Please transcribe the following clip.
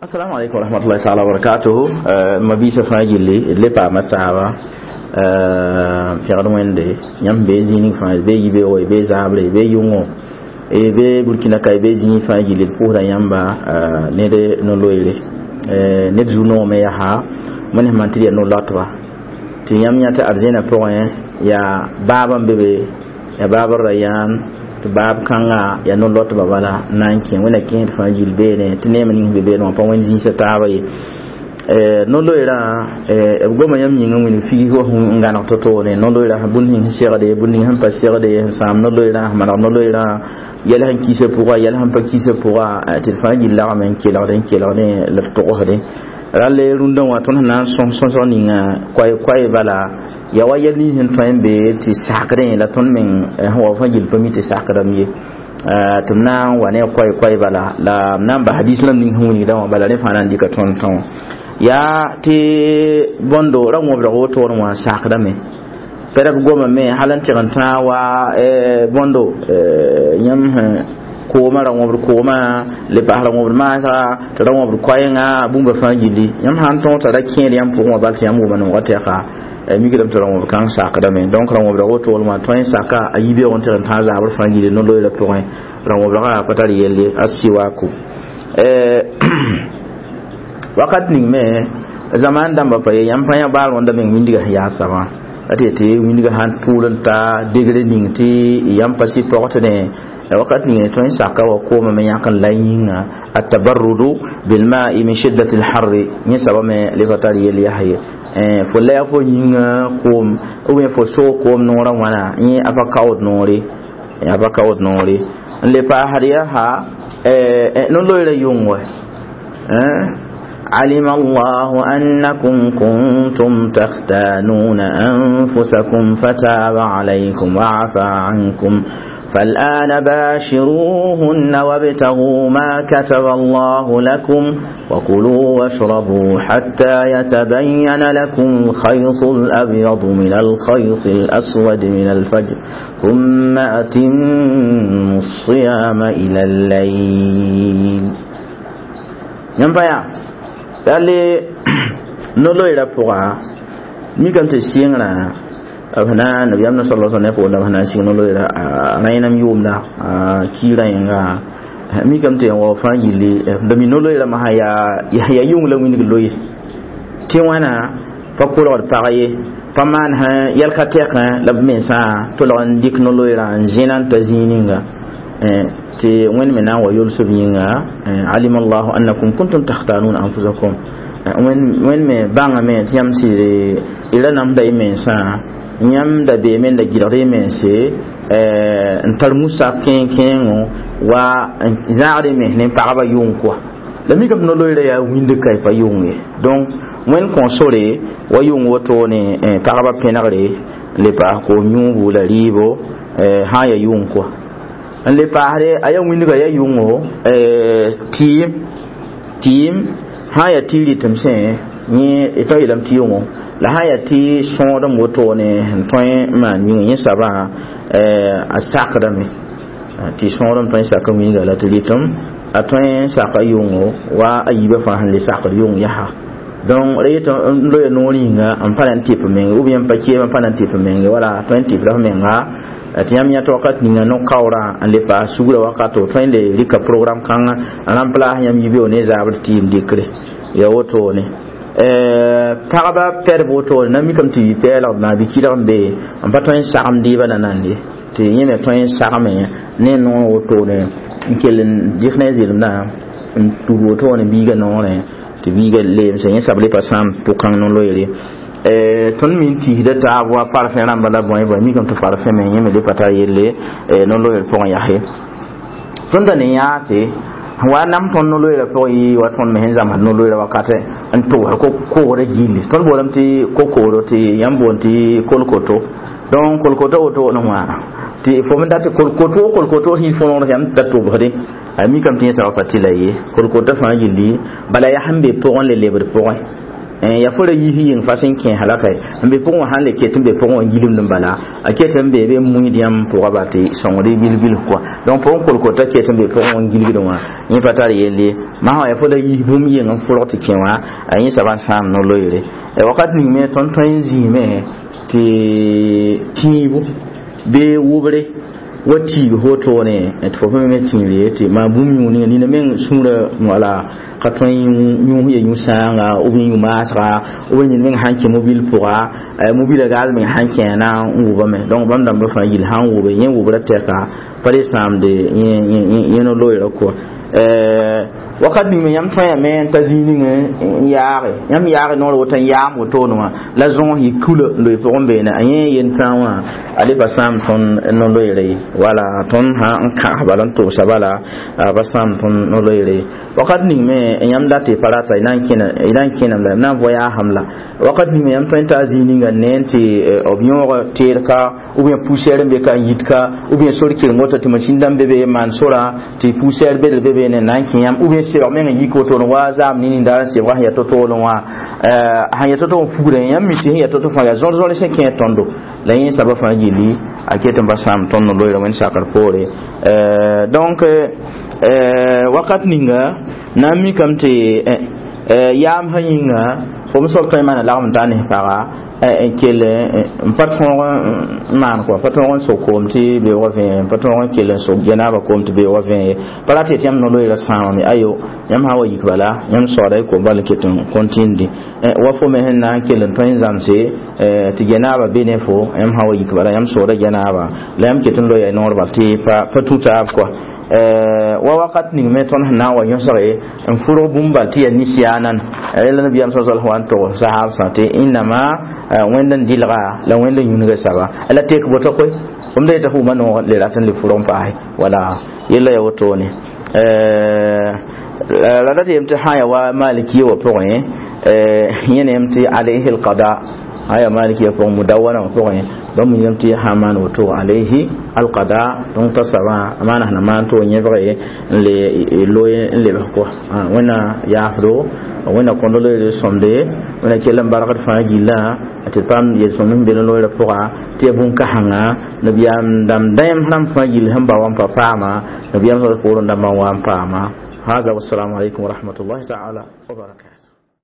Assalamu alaikum warahmatullahi ta'ala wabarakatuh. Mabisa fãa gilli d le paama taaba pẽgd wẽnde yãmb bee zĩig ning fãa bee yibeoogo y bee zaabre y bee yʋngo y bee burkina ka y bee zĩig fãa gilli d pʋʋsda yãmba ned no-loeere ned zu-noogame yaa wẽnd sẽn maan tɩ d yaa no-loatba tɩ yãmb yã tɩ arzẽnã pʋgẽ yaa baab n be be yaa baab r ra yãan tɩ baab kãnga yaa no-loatba bala n na n kẽ wẽnna kẽesd fãa gill beene tɩ neem ning sẽn be beene wã pa wẽnd zĩisã taaba ye no-loeerã b goma yãmb yĩngã wĩnig figsgo n gãneg to-toore no-loeerã bũmb ning sẽn segde bũmb ning sẽn pa segde sẽn sãam no-loeerã sẽn maneg no-loeerã yɛl sẽn kisa pʋga yɛl sẽn pa kisa pʋga tɩ d fãa gill lagme n kelgde n kelgdẽ la d togsdẽ rall rũndã wã tõnd sẽn na n sõs sõsg ninga koɛ-koɛ bala ya wa yɛl nins sẽn tõe n be tɩ sakdẽ la tõnd meng sẽn wa fãa gill pa mi tɩ sakdame ye tɩ m na n wa ne koɛ-koɛ bala la m na n bas hadis rãmb ning sẽn wilgdã wã bala rẽ fãa na n dɩka tõnd tã wã yaa tɩ bõndo ra wõbdg wotone wã sakdame pɛrb gomame hal n tɩg n tãag wa bõndo yãmb sẽn kooma ra wõbd kooma le paas ra wõbd maasga tɩ ra wõbd koɛɛngã bũmba fãa gilli yãmb sã n tõog t'a ra kẽed yãmb pʋgẽ wã bal tɩ yãmb wʋma noogã tɛka mikdame tɩ ra wõbd kãng sakdame donc ra wõbdg wotone wã tõe n saka a yibeoog n tɩg n tãag zaabr fãa gilli no-loeerã pʋgẽ ra wõbdgã pa tar yelle a siwaku wakat ning me zaman dãmba pa ye yãmb pa yã baal wãnda meng wĩndgã sẽn yaa sabã la tɩ tɩ wĩndgã sãn tʋʋl n ta degre ning tɩ yãmb pa sɩ pɔgtne wakat ning tõe n saka wa kooma me yãk n la yĩnga atabarrudu bilma'i min shiddati lharri yẽ sabã me le pa tar yel yaa ye fo la fo yĩnga koom ou bien fo soog koom noorã wãna yẽ a pa kaood noore a pa kaood noore n le paasd yaa no-loeerã yʋng wɛ علم الله أنكم كنتم تختانون أنفسكم فتاب عليكم وعفى عنكم فالآن باشروهن وابتغوا ما كتب الله لكم وكلوا واشربوا حتى يتبين لكم الخيط الأبيض من الخيط الأسود من الفجر ثم أتموا الصيام إلى الليل ينفع dalle no-loeerã pʋga mikame tɩ sɩngrã b na nabiyaam na sala sallam pʋgẽ b na n sɩng no-loeerã rẽenam yʋʋmda kiirã yẽnga mikame tɩ wa fãa gilli d mi no-loeerã masã yaa yʋng la wĩndg loe tɩ wãna pa kolgd pag ye pa maan sã yɛl ka tɛkẽ la b mensã tolg n dɩk no-loeerã n zẽna n ta zĩig ninga tɩ wẽnd me na n wa yolsb yĩnga alima allahu annakum kuntum takhtanuna anfusakum wẽnd me bãngame tɩ yãmb sɩd y ra namsda y mensã yãmb da beeme n da gɩlgd y mense n tar musa kẽeng-kẽengo wa n zãagd y mens ne pagba yʋng kɔa la mikame tɩ no-loeerã yaa wĩnd ka y pa yʋng ye donc wẽnd kõ sore wa yʋng wotone pagba pẽnegre n le paas koom yũubu la rɩɩbo sã n yaa yʋng kɔa n le paasde a yaa wĩndga yaa yʋngo tɩɩm tɩɩm sã n yaa tɩ rɩtem sẽ yẽ tõe yeelame tɩ yʋngo la sã n yaa tɩ sõodem wotone sẽn tõe n maan yĩnga yẽ sabã a sakdame tɩ sõodem tõe n sak wĩnga la tɩ rɩtem a tõe n saka yʋngo wa a yiibã fãa sẽn le sakd yʋng yaa donc ra yetɩ n loe noor yĩnga n pa na n tɩp menge ou bien n pa keem n pa na n tɩp menge wala tõe n tɩpda f menga tɩ yãmb yãta wakat ninga no-kaoorã n le paas sugrã wakato tõe n le rɩka program kãngã n rãmplaas yãmb yibeoog ne zaabr tɩɩm dɩkre ya wotone pagba pɛdb wotone na mikame tɩ pɛɛlgd maa bɩ kɩlg n be n pa tõe n sagem dɩɩbã na nande tɩ yẽ me tõe n sagme ne noor wotone n kell n dɩk ne zɩlemdã n tud wotone biigã noorẽ tɩ biigã leemse yẽ sab le pa sãam pʋkãng no-loeere tõnd me n tiisda taab wa parfẽ rãmba la bõe bõe mikame tɩ parfẽ me yẽ me le pa tar yelle no-loeer pʋgẽ yaa tõnd da ne yãase wa nam tõnd no-loeerã pʋgẽ yɩ wa tõnd me sẽn zãmsd no-loeerã wakatɛ n tʋgsd koogrã gilli tõnd boolame tɩ ko-kooro tɩ yãmb boond tɩ kolkoto donc kolkoto woto ne wãana tɩ fo me dat tɩ kolkoto kolkoto sẽn fo noor yãmb da tʋbsdẽ a mikame tɩ yẽ soaba pa tɩ la ye kolkotã fãa gilli bala yaa sẽn be pʋgẽ le lebd pʋgẽ Ya fo ra yis yĩng fa sẽn kẽ halaka n be pʋgẽ wã sãn le ket n be pʋgẽ wã gilmd n bala a ket n be be muiid yãmb pʋga ba tɩ sõngd bil-bilf kɔa donc pʋgẽ kolkol t'a ket n be pʋgẽ wã gilgd wã yẽ pa tar yelle masã wã ya fo la yis bũmb yeng n fʋlg tɩ kẽ wã a yẽ soaba n sãam no-loeere wakat ning me tõnd tõe n zĩime tɩ tĩibu bee wʋbre wa tiig wotone tɩ fo me tĩir tɩ maa bũmb yũ ninga nina meng sũurã wala ka tõe n yũ ya yũ-sãanga b yũ maasga b ned meng sãn kẽ mobil pʋga mobila gaas meng sãn kẽ na n wʋbame donc bãmb dãmbã fãa yil sãn wʋbe yẽ wʋbrã tɛka pa le sãamde yẽ no-loeerã kɔa wakat ning me yãmb tõeyame n ta zĩig ning n yaage yãmb yaage noor woto n yaam wotone wã la zõos yɩ kula n loe pʋgẽ beene a yẽ yen-tãag wã a le pa sãam tõnd no-loeere ye wala tõnd sã n kãs bala n tʋgsa bala pa sãam tõnd no-loeere ye wakat ning me yãmb dat tɩ pa rata y na n kẽnem la y na n voyaasem la wakat ning me yãmb tõe n taa zĩig ninga n ne n tɩ b yõog teed ka ou bien poussière n be ka n yit ka ou bien sor kɩreng woto tɩ masĩn dãmb be be maan sora tɩ poussière bedl be beene n na n kẽ yãmb ou bien sebg meng n yik wotone wa zaam nin-nindaar n sebga sẽn yaa to-toolẽ wã sẽn yaa to-to n fugrẽ yãmb mi tɩ sẽn yaa to-to fãa yaa zõr-zõr sẽn kẽ tõndo la yẽ soaba fãa gilli a ket n pa sãam tõnd no-loeerã wẽnd sakr poore donc wakat ninga na n mikame tɩ yaam sã yĩnga fo m soab tõe n maana lagm n taa ne paga n kell n pa tõog n maan kɔa pa tõog n sog koom tɩ beoogã vẽe pa tõog n kell n sog janaaba koom tɩ beoogã vẽe ye pa rat yetɩ yãmb no-loeerã sãamame ayo yãmb sã n wa yik bala yãmb soaada y koom bal n ket n kõntĩndi wa fo me sẽn na n kell n tõe n zãmse tɩ janaaba be ne fo yãmb sã n wa yik bala yãmb sooda janaaba la yãmb ket n loya noor bal tɩ pa tũ taab kɔa wa wakat ning me tõnd sẽn na n wa yõsge n fʋrg bũmb bal tɩ yaa nisiyaanan rẽla nabiyaam sa sal wa n tog sahaabsã tɩ innama wẽnd n dɩlga la wẽnd n yũnga saba la tek boto koe fom da yeta f wʋma noog le rat n le fʋrg n paase wala yella ya wotone la dat yem tɩ sã ya wa malikiya wã pʋgẽ yẽ ne yem tɩ alayhi alqada aya malikiya pʋgẽ mudawana wã pʋgẽ bãmb yem tɩ sã maan woto alayhi alqada donc t'a soabã a maana sẽn na maan tɩ yẽbge n le loe n lebs kɔ wẽnna yaafdo wẽnna kõnd loeere sõmde wẽnna kell n bargd fãa gillã tɩ paam yel-sõmd sẽn be loeerã pʋga tɩ yaa bũn-kãsenga nabiyaam dãmb dãem rãmb fãa gill sẽn ba wa n pa paama nabiyaam sa poorẽ dãmbã n wa n paama. هذا والسلام عليكم ورحمة الله تعالى وبركاته.